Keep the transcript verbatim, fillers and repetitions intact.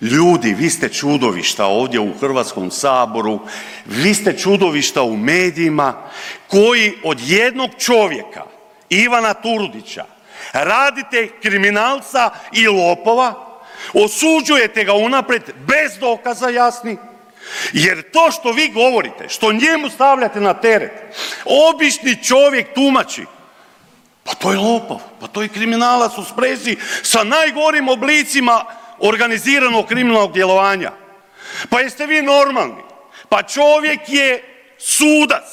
Ljudi, vi ste čudovišta ovdje u Hrvatskom saboru, vi ste čudovišta u medijima koji od jednog čovjeka, Ivana Turudića, radite kriminalca i lopova, osuđujete ga unaprijed bez dokaza jasnih, jer to što vi govorite, što njemu stavljate na teret, obični čovjek tumači, pa to je lopov, pa to je kriminalac u sprezi sa najgorim oblicima organiziranog kriminalnog djelovanja. Pa jeste vi normalni? Pa čovjek je sudac,